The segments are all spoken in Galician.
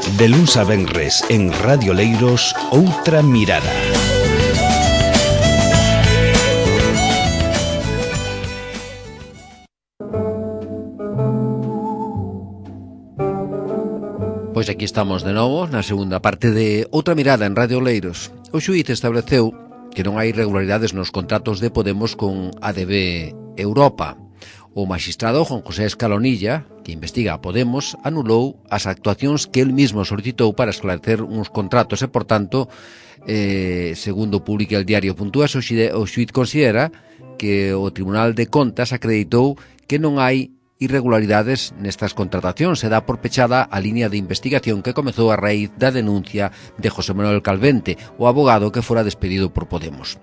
De luns a venres en Radio Leiros, Outra Mirada. Pois aquí estamos de novo na segunda parte de Outra Mirada en Radio Leiros. O xuíz estableceu que non hai irregularidades nos contratos de Podemos con ADB Europa. O magistrado Juan José Escalonilla, que investiga a Podemos, anulou as actuacións que el mismo solicitou para esclarecer uns contratos e, por tanto, segundo publica el diario.es, o xuíz considera que o Tribunal de Contas acreditou que non hai irregularidades nestas contratacións e dá por pechada a línea de investigación que comezou a raíz da denuncia de José Manuel Calvente, o abogado que fora despedido por Podemos.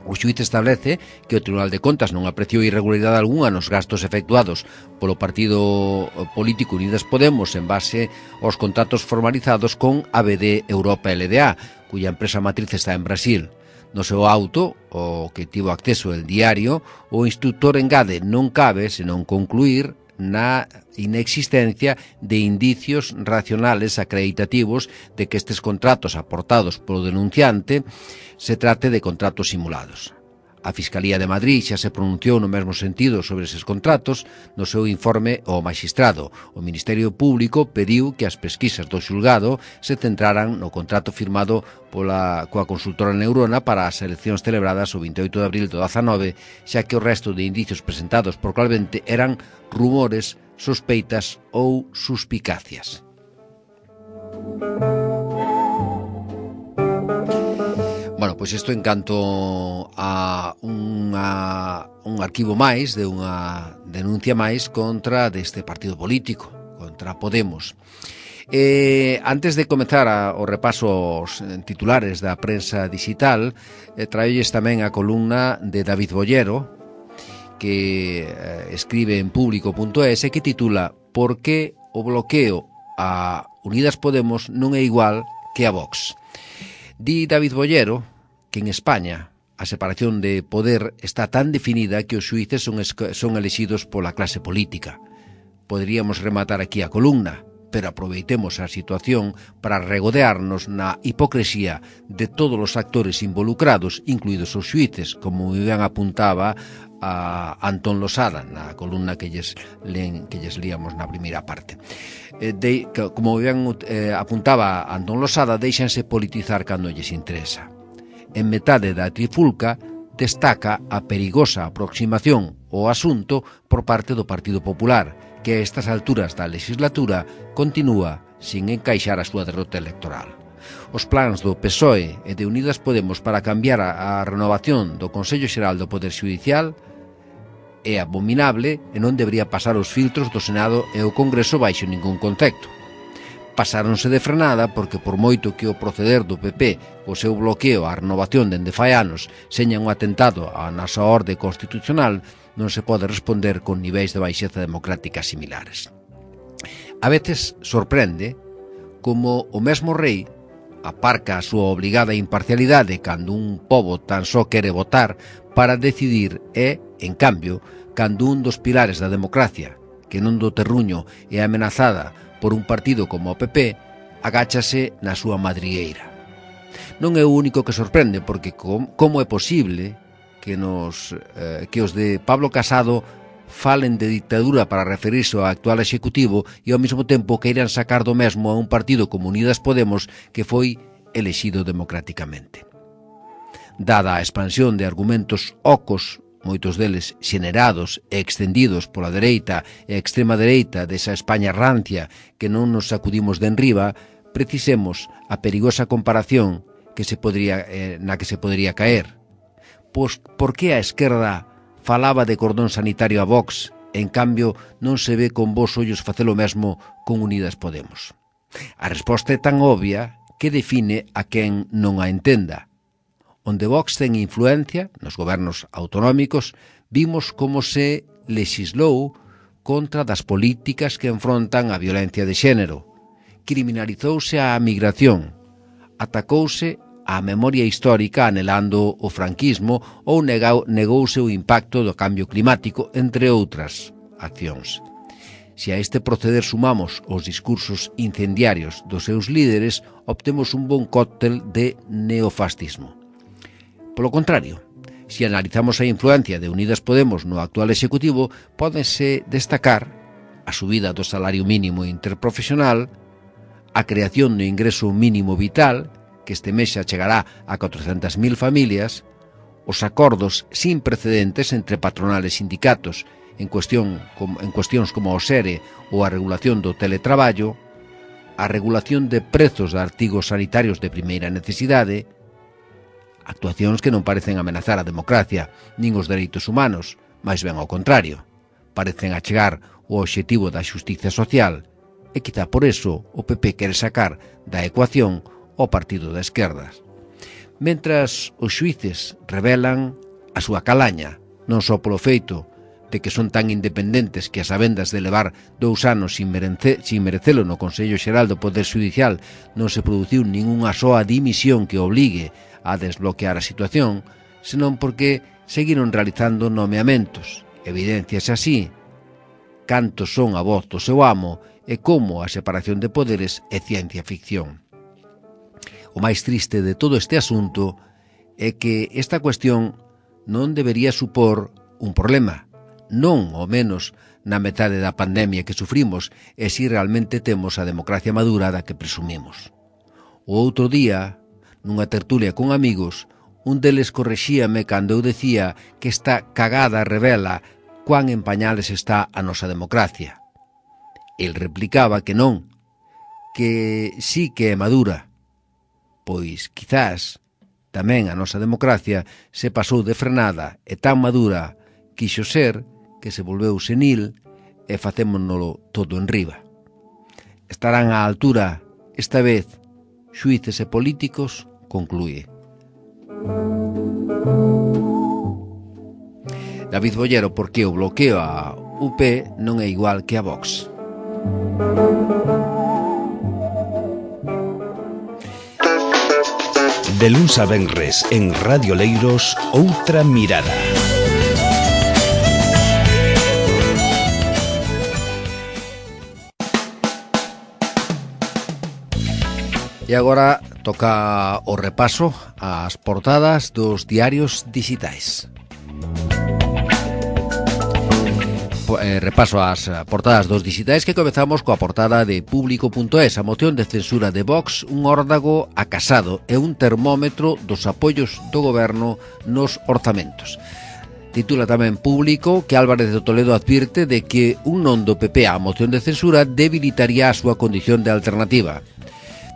O xuíz establece que o Tribunal de Contas non apreciou irregularidade algunha nos gastos efectuados polo partido político Unidas Podemos en base aos contratos formalizados con ABD Europa LDA, cuya empresa matriz está en Brasil. No seu auto, o que tivo acceso el diario, o instructor engade non cabe senón concluir na inexistencia de indicios racionales acreditativos de que estes contratos aportados polo denunciante se trate de contratos simulados. A Fiscalía de Madrid xa se pronunciou no mesmo sentido sobre eses contratos no seu informe ao magistrado. O Ministerio Público pediu que as pesquisas do xulgado se centraran no contrato firmado coa consultora Neurona para as eleccións celebradas o 28 de abril do 19, xa que o resto de indicios presentados por Calvente eran rumores, sospeitas ou suspicacias. Bueno, pois isto en canto a un arquivo máis de unha denuncia máis contra deste partido político, contra Podemos. Antes de comezar o repaso aos titulares da prensa digital, traolles tamén a columna de David Bollero, que escribe en público.es e que titula "Por que o bloqueo a Unidas Podemos non é igual que a Vox?". Di David Bollero que en España a separación de poder está tan definida que os xuíces son elexidos pola clase política. Poderíamos rematar aquí a columna, pero aproveitemos a situación para regodearnos na hipocresía de todos os actores involucrados, incluídos os xuíces, como ben apuntaba a Antón Losada na columna que lles líamos na primeira parte. Como ben apuntaba Antón Losada, déixanse politizar cando lles interesa. En metade da trifulca destaca a perigosa aproximación ao asunto por parte do Partido Popular, que a estas alturas da legislatura continúa sin encaixar a súa derrota electoral. Os plans do PSOE e de Unidas Podemos para cambiar a renovación do Consello Xeral do Poder Xudicial é abominable e non debería pasar os filtros do Senado e o Congreso baixo ningún concepto. Pasáronse de frenada porque por moito que o proceder do PP o seu bloqueo á renovación dende fai anos seña un atentado á nosa orde constitucional, non se pode responder con niveis de baixeza democrática similares. A veces sorprende como o mesmo rei aparca a súa obligada imparcialidade cando un pobo tan só quere votar para decidir e, en cambio, cando un dos pilares da democracia, que non do terruño é amenazada por un partido como o PP, agáchase na súa madrigueira. Non é o único que sorprende, porque como é posible que os de Pablo Casado falen de dictadura para referirse ao actual executivo e ao mesmo tempo queiran sacar do mesmo a un partido como Unidas Podemos que foi elexido democráticamente. Dada a expansión de argumentos ocos, moitos deles xenerados e extendidos pola dereita e extrema dereita desa España rancia que non nos sacudimos de enriba, precisemos a perigosa comparación na que se podría caer. Pois, por que a esquerda falaba de cordón sanitario a Vox e, en cambio, non se ve con bons ollos facer o mesmo con Unidas Podemos? A resposta é tan obvia que define a quen non a entenda. Onde Vox ten influencia, nos gobernos autonómicos, vimos como se lexislou contra das políticas que enfrontan a violencia de xénero. Criminalizouse a migración, atacouse a memoria histórica anhelando o franquismo ou negouse o impacto do cambio climático, entre outras accións. Se a este proceder sumamos os discursos incendiarios dos seus líderes, obtemos un bon cóctel de neofascismo. Polo contrario, se analizamos a influencia de Unidas Podemos no actual executivo, pódense destacar a subida do salario mínimo interprofesional, a creación do ingreso mínimo vital, que este mes xa chegará a 400.000 familias, os acordos sin precedentes entre patronales e sindicatos en cuestións como o SERE ou a regulación do teletraballo, a regulación de prezos de artigos sanitarios de primeira necesidade, actuacións que non parecen amenazar a democracia nin os dereitos humanos, máis ben ao contrario, parecen achegar o obxectivo da xustiza social, e quizá por eso o PP quere sacar da ecuación o partido da esquerdas. Mentras os xuíces revelan a súa calaña, non só polo feito de que son tan independentes que as sabendas de levar 2 anos sin merecelo no Consello Xeral do Poder Xudicial non se produciu ningunha soa dimisión que obligue a desbloquear a situación, senón porque seguiron realizando nomeamentos. Evidenciase así cantos son a voz do seu amo e como a separación de poderes é ciencia ficción. O máis triste de todo este asunto é que esta cuestión non debería supor un problema, non ao menos na metade da pandemia que sufrimos e si realmente temos a democracia madura da que presumimos. O outro día, nunha tertulia con amigos, un deles correxíame cando eu decía que esta cagada revela cuán en pañales está a nosa democracia. El replicaba que non, que sí que é madura, pois quizás tamén a nosa democracia se pasou de frenada e tan madura quixo ser que se volveu senil e facémonoslo todo en riba. Estarán á altura, esta vez, xuíces e políticos, conclúe. David Bollero, porque o bloqueo a UP non é igual que a Vox. De luns a venres en Radio Leiros, Outra Mirada. E agora toca o repaso ás portadas dos diarios digitais. Repaso ás portadas dos digitais que comezamos coa portada de Público.es. A moción de censura de Vox, un órdago a Casado e un termómetro dos apoios do goberno nos orzamentos. Titula tamén Público que Álvarez de Toledo advirte de que un non do PP á moción de censura debilitaría a súa condición de alternativa.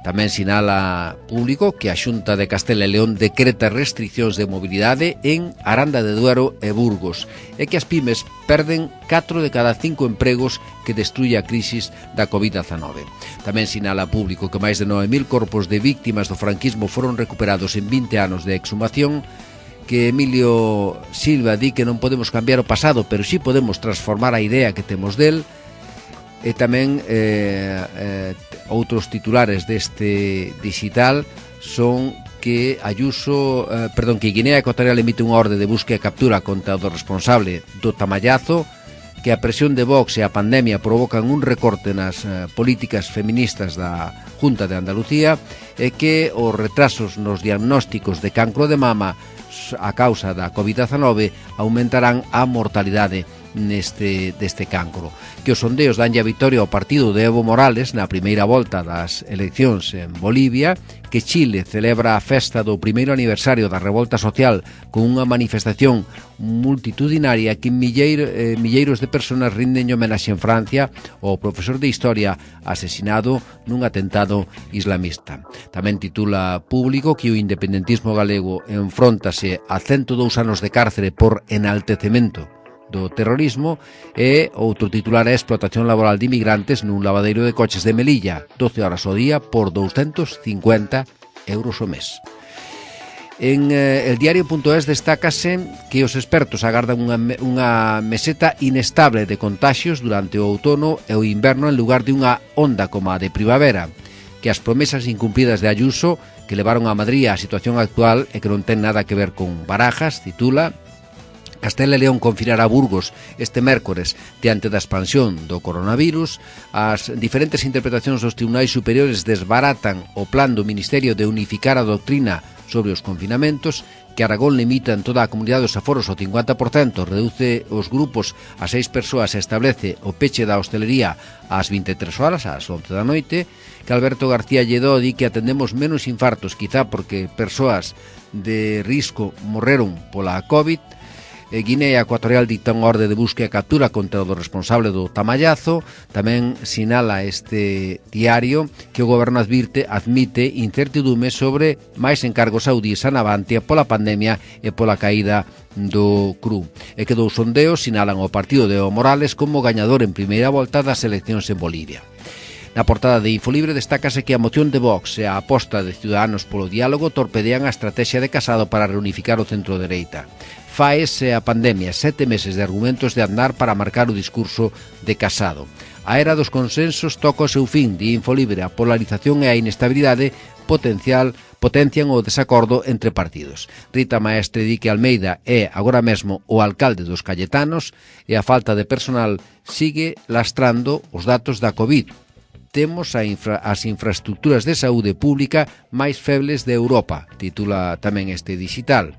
Tamén sinala Público que a Xunta de Castela e León decreta restriccións de mobilidade en Aranda de Duero e Burgos e que as pymes perden 4 de cada 5 empregos que destruye a crisis da COVID-19. Tamén sinala Público que máis de 9.000 corpos de víctimas do franquismo foron recuperados en 20 anos de exhumación, que Emilio Silva di que non podemos cambiar o pasado, pero sí podemos transformar a idea que temos del. E tamén outros titulares deste digital son que que Guinea Ecuatorial emite unha orde de búsqueda e captura contra o responsable do tamallazo, que a presión de Vox e a pandemia provocan un recorte nas políticas feministas da Junta de Andalucía e que os retrasos nos diagnósticos de cancro de mama a causa da COVID-19 aumentarán a mortalidade deste cancro. Que os sondeos danlle a victoria ao partido de Evo Morales na primeira volta das eleccións en Bolivia, que Chile celebra a festa do primeiro aniversario da revolta social con unha manifestación multitudinaria que milleiros de persoas rinden homenaxe en Francia ao profesor de Historia asesinado nun atentado islamista. Tamén titula Público que o independentismo galego enfróntase a 102 anos de cárcere por enaltecemento do terrorismo e outro titular é explotación laboral de inmigrantes nun lavadeiro de coches de Melilla, 12 horas ao día por 250 euros ao mes. En el diario.es destácase que os expertos agardan unha meseta inestable de contaxios durante o outono e o inverno en lugar de unha onda como a de primavera, que as promesas incumplidas de Ayuso que levaron a Madrid á situación actual e que non ten nada que ver con Barajas, titula, Castela e León confinará Burgos este mércores diante da expansión do coronavirus. As diferentes interpretacións dos tribunais superiores desbaratan o plan do Ministerio de unificar a doutrina sobre os confinamentos, que Aragón limita en toda a comunidade os aforos ao 50%, reduce os grupos a 6 persoas e establece o peche da hostelería ás 23 horas, ás 11 da noite, que Alberto García Lledó di que atendemos menos infartos, quizá porque persoas de risco morreron pola COVID. Guinea Ecuatorial dicta unha orde de búsqueda e captura contra o responsable do tamallazo. Tamén sinala este diario que o goberno admite incertidume sobre máis encargos saudíes a Navantia pola pandemia e pola caída do CRU. E que dous sondeos sinalan o partido de Evo Morales como gañador en primeira volta das eleccións en Bolivia. Na portada de Infolibre destácase que a moción de Vox e a aposta de Ciudadanos polo diálogo torpedean a estrategia de Casado para reunificar o centro-dereita. Faese a pandemia, 7 meses de argumentos de andar para marcar o discurso de Casado. A era dos consensos toca o seu fin, di Infolibre. A polarización e a inestabilidade potencian o desacordo entre partidos. Rita Maestre di que Almeida é agora mesmo o alcalde dos Cayetanos e a falta de personal sigue lastrando os datos da COVID. Temos as infraestructuras de saúde pública máis febles de Europa, titula tamén este digital.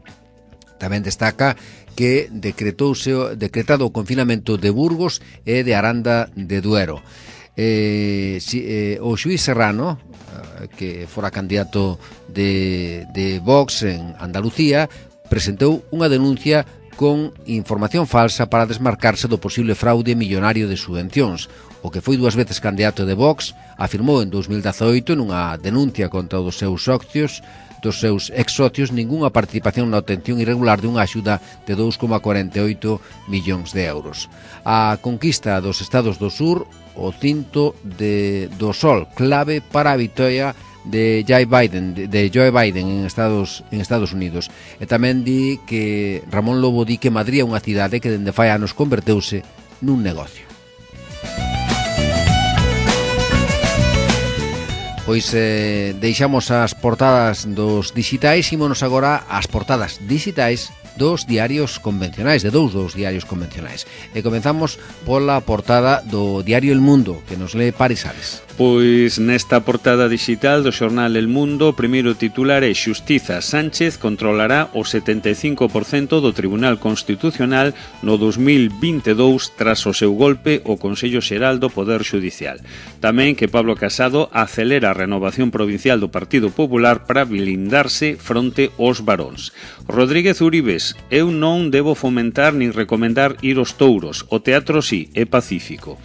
Tamén destaca que decretado o confinamento de Burgos e de Aranda de Duero. O xuiz Serrano, que fora candidato de Vox en Andalucía, presentou unha denuncia con información falsa para desmarcarse do posible fraude millonario de subvencións. O que foi 2 veces candidato de Vox afirmou en 2018 nunha denuncia contra os seus ex-socios ningunha participación na obtención irregular dunha axuda de 2,48 millóns de euros. A conquista dos estados do sur, o cinto do sol, clave para a vitoria de Joe Biden en Estados Unidos. E tamén di que Ramón Lobo di que Madrid é unha cidade que dende fai anos converteuse nun negocio. Pois deixamos as portadas dos digitais, ímonos agora ás portadas digitais dos diarios convencionais, de dous diarios convencionais. E comenzamos pola portada do diario El Mundo, que nos lee Paris Sales. Pois nesta portada digital do xornal El Mundo, o primeiro titular é Xustiza, Sánchez controlará o 75% do Tribunal Constitucional no 2022 tras o seu golpe o Consello Xeral do Poder Xudicial. Tamén que Pablo Casado acelera a renovación provincial do Partido Popular para blindarse fronte aos varóns. Rodríguez Uribes, eu non debo fomentar nin recomendar ir aos touros, o teatro sí, é pacífico.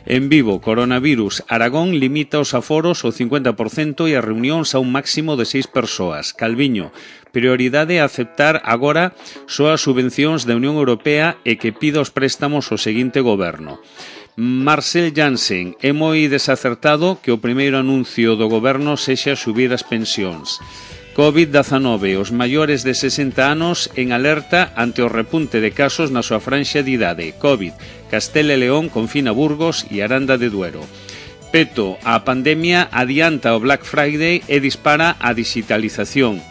En Vivo, coronavirus, Aragón limita os aforos ao 50% e as reunións a un máximo de 6 persoas. Calviño, prioridade a aceptar agora só as subvencións da Unión Europea e que pida os préstamos ao seguinte goberno. Marcel Jansen, é moi desacertado que o primeiro anuncio do goberno sexa subir as pensións. COVID-19, os maiores de 60 anos en alerta ante o repunte de casos na súa franxa de idade. COVID, Castela e León confina Burgos e Aranda de Duero. Peto, a pandemia adianta o Black Friday e dispara a digitalización.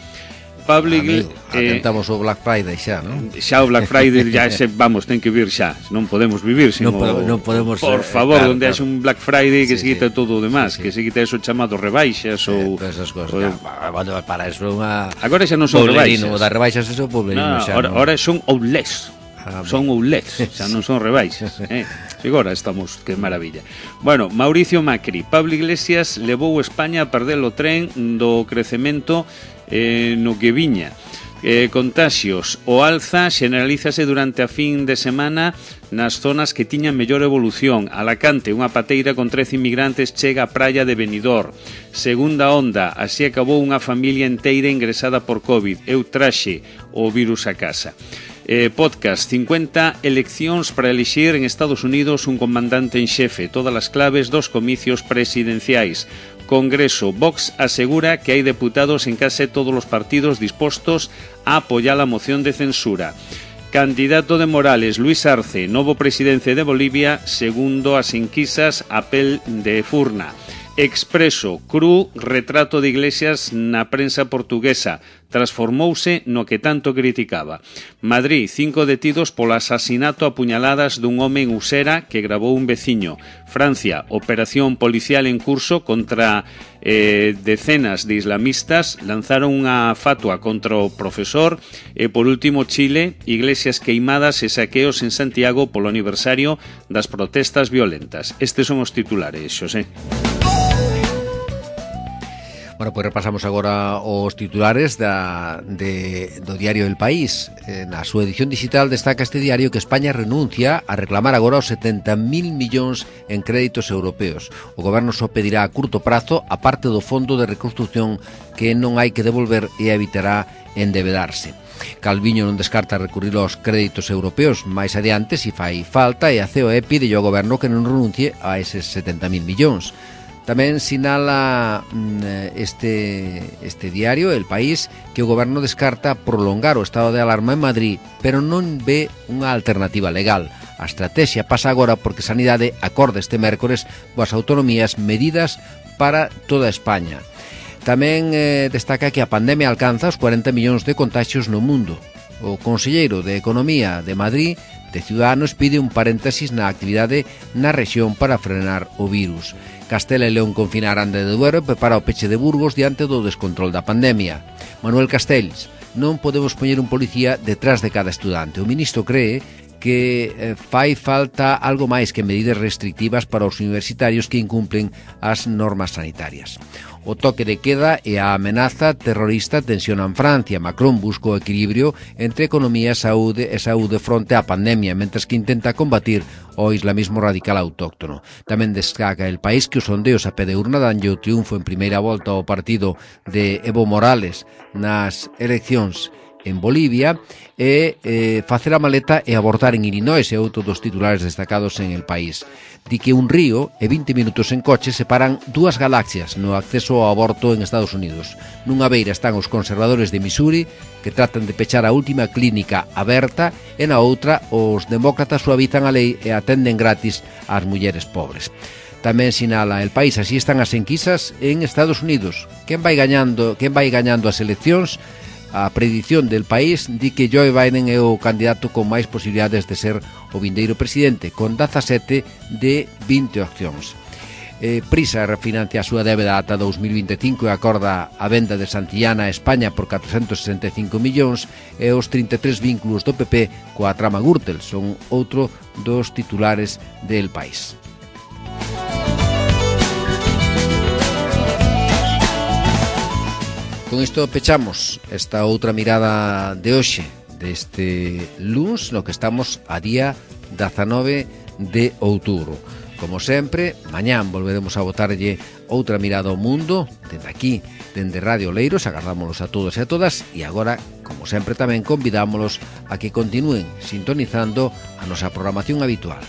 Pablo Iglesias, atentamos o Black Friday xa, non? Xa o Black Friday já ten que vir xa, non podemos vivir sin non podemos, por favor, onde haxe un Black Friday que se quita todo o demás, que se quita eso chamado rebaixas ou esas cosas. Para eso unha agora xa non son rebaixas. O da rebaixas eso poblerino xa. Ahora son outlets. Son outlets, xa non son rebaixas. Agora estamos, que maravilla. Bueno, Mauricio Macri, Pablo Iglesias levou España a perder o tren do crecemento no que viña. Contaxios, o alza xeneralízase durante a fin de semana nas zonas que tiñan mellor evolución. Alacante, unha pateira con 13 inmigrantes chega á praia de Benidorm. Segunda onda, así acabou unha familia inteira ingresada por COVID. Eu traxe o virus a casa. Podcast, 50 eleccións para elixir en Estados Unidos un comandante en xefe, todas as claves dos comicios presidenciais. Congreso, Vox asegura que hai deputados en case todos os partidos dispostos a apoiar a moción de censura. Candidato de Morales, Luis Arce, novo presidente de Bolivia, segundo as enquisas, apel de Furna. Expreso, cru, retrato de Iglesias na prensa portuguesa. Transformouse no que tanto criticaba. Madrid, 5 detidos polo asasinato a puñaladas dun home en Usera que gravou un veciño. Francia, operación policial en curso contra decenas de islamistas. Lanzaron unha fatua contra o profesor. E por último, Chile, iglesias queimadas e saqueos en Santiago polo aniversario das protestas violentas. Estes son os titulares, Xosé. Bueno, pois repasamos agora os titulares do diario El País. Na súa edición digital destaca este diario que España renuncia a reclamar agora os 70.000 millóns en créditos europeos. O goberno só pedirá a curto prazo a parte do fondo de reconstrucción que non hai que devolver e evitará endebedarse. Calviño non descarta recurrir aos créditos europeos máis adiante se fai falta e a COE pide ao goberno que non renuncie a eses 70.000 millóns. Tamén sinala este diario, El País, que o goberno descarta prolongar o estado de alarma en Madrid, pero non ve unha alternativa legal. A estratexia pasa agora porque Sanidade acorda este mércores coas autonomías medidas para toda España. Tamén destaca que a pandemia alcanza os 40 millóns de contagios no mundo. O conselleiro de Economía de Madrid, de Ciudadanos, pide un paréntesis na actividade na rexión para frenar o virus. Castela e León confinar Ande de Duero e prepara o peche de Burgos diante do descontrol da pandemia. Manuel Castells: non podemos poñer un policía detrás de cada estudante. O ministro cree que fai falta algo máis que medidas restrictivas para os universitarios que incumplen as normas sanitarias. O toque de queda e a amenaza terrorista tensionan Francia. Macron busca o equilibrio entre economía e saúde fronte á pandemia, mentres que intenta combatir o islamismo radical autóctono. Tamén destaca El País que os sondeos a pé de urna danlle o triunfo en primeira volta ao partido de Evo Morales nas eleccións en Bolivia e facer a maleta e abortar en Illinois é outro dos titulares destacados en El País. Di que un río e 20 minutos en coche separan dúas galaxias no acceso ao aborto en Estados Unidos. Nunha beira están os conservadores de Missouri, que tratan de pechar a última clínica aberta, e na outra os demócratas suavizan a lei e atenden gratis ás mulleres pobres. Tamén sinala El País, así están as enquisas en Estados Unidos. Quen vai gañando as eleccións? A predición del País di que Joe Biden é o candidato con máis posibilidades de ser o vindeiro presidente, con 17 de 20 opcións. Prisa refinancia a súa débeda ata 2025 e acorda a venda de Santillana a España por 465 millóns e os 33 vínculos do PP coa trama Gürtel son outro dos titulares del País. Con isto pechamos esta outra mirada de hoxe, deste luns, no que estamos a día 19 de outubro. Como sempre, mañán volveremos a botarlle outra mirada ao mundo, dende aquí, dende Radio Oleiros. Agardámonos a todos e a todas, e agora, como sempre, tamén convidámolos a que continúen sintonizando a nosa programación habitual.